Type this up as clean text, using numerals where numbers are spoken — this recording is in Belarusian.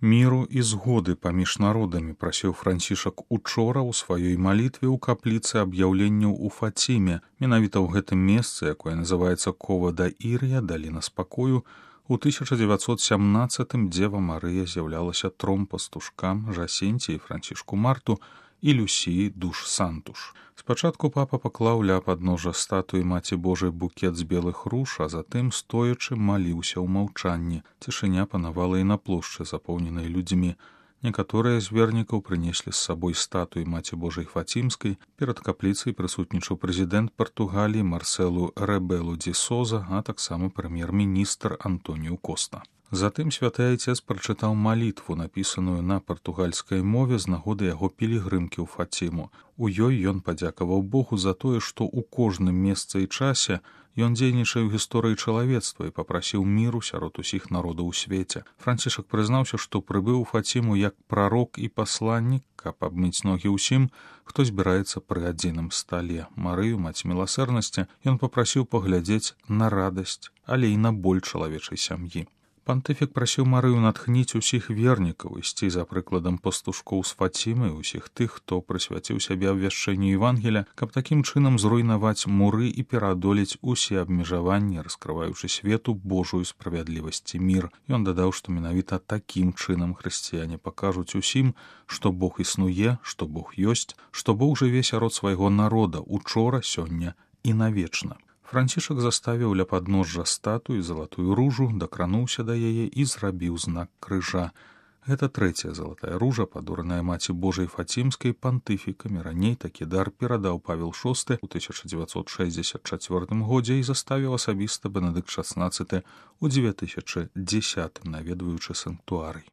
Міру і згоды паміж народамі прасіў Францішак учора ў сваёй малітве ў капліцы аб'яўленняў у Фаціме. Менавіта ў гэтым месцы, якое называецца Кова да Ір'я, даліна спакою, у 1917 Дзева Марыя з'яўлялася тром пастушкам Жасенці і Францішку Марту і Люсіі душ Сантуш. Спачатку папа паклаў ля падножжа статуі Маці Божай букет з белых руж, а затым, стоячы, маліўся ў маўчанні. Цішыня панавала і на плошчы, запоўненай людзьмі. Некаторыя з вернікаў прынеслі з сабой статуі Маці Божай Фацімскай. Перад капліцай прысутнічаў прэзідэнт Партугаліі Марселу Рэбелу ді Соза, а таксама прэм'ер-міністр Антоніу Коста. Затым святы айцец прачытаў малітву, напісаную на партугальскай мове з нагоды яго пілігрымкі ў Фаціму. У ёй ён падзякаваў Богу за тое, што ў кожным месцы і часе ён дзейнічае ў гісторыі чалавецтва і папрасіў міру сярод усіх народаў у свеце. Францішак прызнаўся, што прыбыў у Фаціму як прарок і пасланнік, каб абмыць ногі ўсім, хто збіраецца пры адзіным стале. Марыю, маць міласэрнасці, ён папрасіў паглядзець на радасць, але і на боль чалавечай сям'і. Пантыфік прасіў Марыю натхніць усіх вернікаў ісці за прыкладам пастушкоў з Фацімы і усіх тых, хто прысвяціў сябе абвяшчэнню Евангеля, каб такім чынам зруйнаваць муры і пераадолець усе абмежаванні, раскрываючы свету Божую справядлівасць і мір. Ён дадаў, што менавіта такім чынам хрысціяне пакажуць усім, што Бог існуе, што Бог ёсць, што Бог жыве сярод свайго народа учора, сёння і навечна. Францішак заставіў ля падножжа статуі залатую ружу, дакрануўся да яе і зрабіў знак крыжа. Гэта трэцяя залатая ружа, падораная Маці Божай Фацімскай пантыфікамі. Раней такі дар перадаў Павел VI у 1964 годзе і заставіў асабіста Бенедыкт XVI у 2010, наведваючы санктуарый.